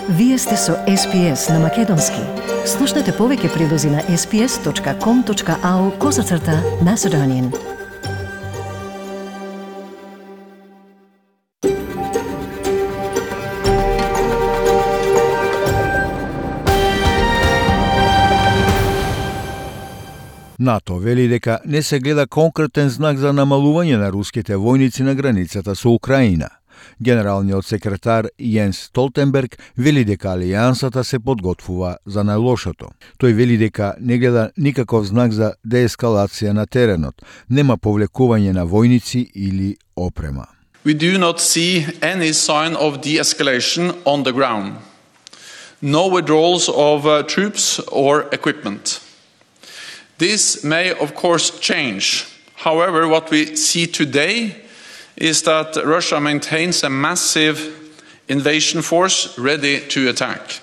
Вие сте со SPS на Македонски. Слушнете повеќе прилози на sps.com.au/Macedonian. НАТО вели дека не се гледа конкретен знак за намалување на руските војници на границата со Украина. Генералниот секретар Јенс Столтенберг вели дека алијансата се подготвува за најлошото. Тој вели дека не гледа никаков знак за деескалација на теренот, нема повлекување на војници или опрема. We do not see any sign of de-escalation on the ground. No withdrawals of troops or equipment. This may, of course, change. However, what we see today is that Russia maintains a massive invasion force ready to attack.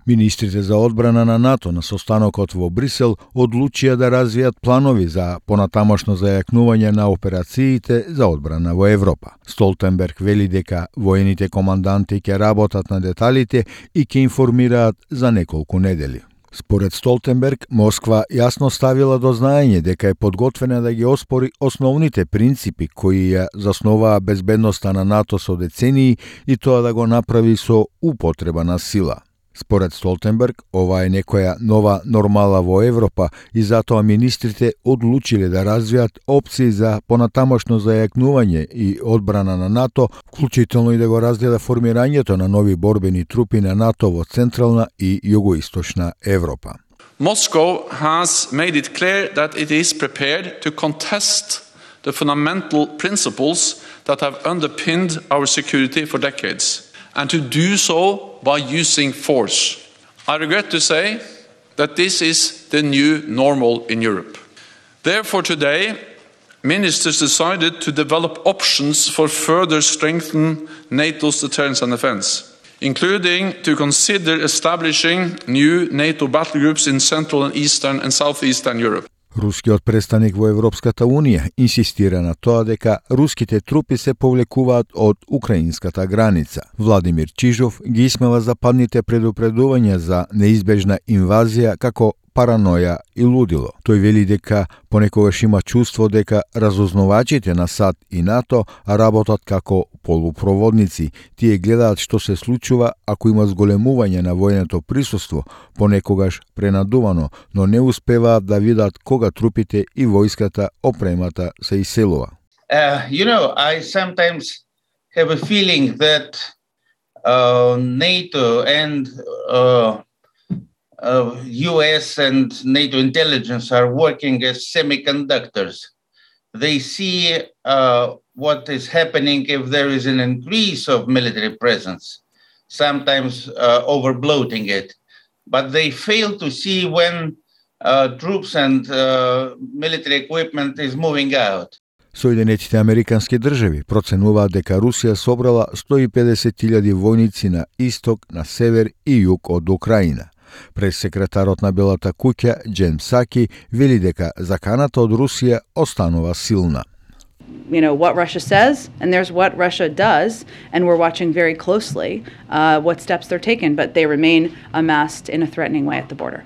Министрите за одбрана на НАТО на состанокот во Брисел одлучија да развијат планови за понатамошно зајакнување на операциите за одбрана во Европа. Столтенберг вели дека воените команданти ќе работат на деталите и ќе информираат за неколку недели. Според Столтенберг, Москва јасно ставила до знаење дека е подготвена да ги оспори основните принципи кои ја засноваа безбедноста на НАТО со децении и тоа да го направи со употреба на сила. Според Столтенберг, ова е некоја нова нормала во Европа и затоа министрите одлучиле да развијат опции за понатамошно зајакнување и одбрана на НАТО, вклучително и да го разгледа формирањето на нови борбени трупи на НАТО во Централна и Југоисточна Европа. Moscow has made it clear that it is prepared to contest the fundamental principles that have underpinned our security for decades, and to do so by using force. I regret to say that this is the new normal in Europe. Therefore, today, ministers decided to develop options for further strengthen NATO's deterrence and defense, including to consider establishing new NATO battle groups in Central and Eastern and Southeastern Europe. Рускиот представник во Европската Унија инсистира на тоа дека руските трупи се повлекуваат од украинската граница. Владимир Чижов ги исмева западните предупредувања за неизбежна инвазија како параноја и лудило. Тој вели дека понекогаш има чувство дека разузнавачите на САД и НАТО работат како полупроводници. Тие гледаат што се случува ако има зголемување на војното присуство, понекогаш пренадувано, но не успеваат да видат кога трупите и војската опремата се иселува. I sometimes have a feeling that NATO and US and NATO intelligence are working as semiconductors. They see what is happening if there is an increase of military presence, sometimes overbloating it. But they fail to see when troops and military equipment is moving out. Соединетите Американски држави проценуваат дека Русија собрала 150.000 војници на исток, на север и југ од Украина. Прес-секретарот на Белата куќа, Джен Псаки, вели дека заканата од Русија останува силна. You know, what Russia says, and there's what Russia does, and we're watching very closely what steps they're taken, but they remain amassed in a threatening way at the border.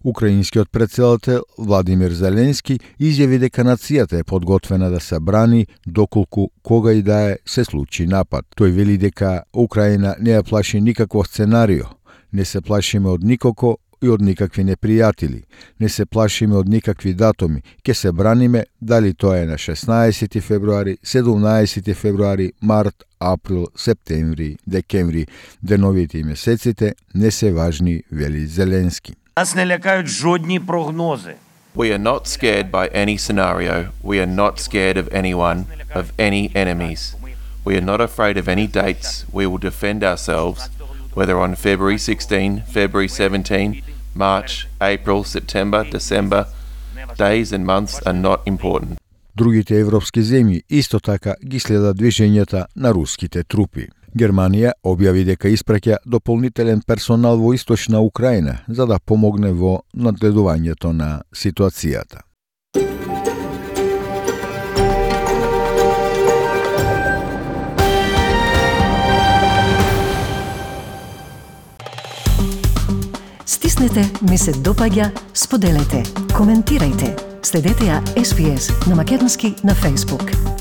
Украинскиот претседател Владимир Зеленски изјави дека нацијата е подготвена да се брани доколку кога и да е се случи напад. Тој вели дека Украина не ја плаши никакво сценарио. Не се плашиме од никоко и од никакви непријатели. Не се плашиме од никакви датуми. Ке се браниме дали тоа е на 16 февруари, 17 февруари, март, април, септември, декември. Деновите и месеците не се важни, вели Зеленски. Нас не лякають жодні прогнози. We are not scared by any scenario. We are not scared of anyone, of any enemies. We are not afraid of any dates. We will defend ourselves, whether on February 16, February 17, March, April, September, December. Days and months are not important. Другите европски земји исто така ги следат движењата на руските трупи. Германија објави дека испраќа дополнителен персонал во источна Украина за да помогне во надгледувањето на ситуацијата. Стиснете ми се допаѓа, споделете, коментирајте. Следете ја SPS на македонски на Facebook.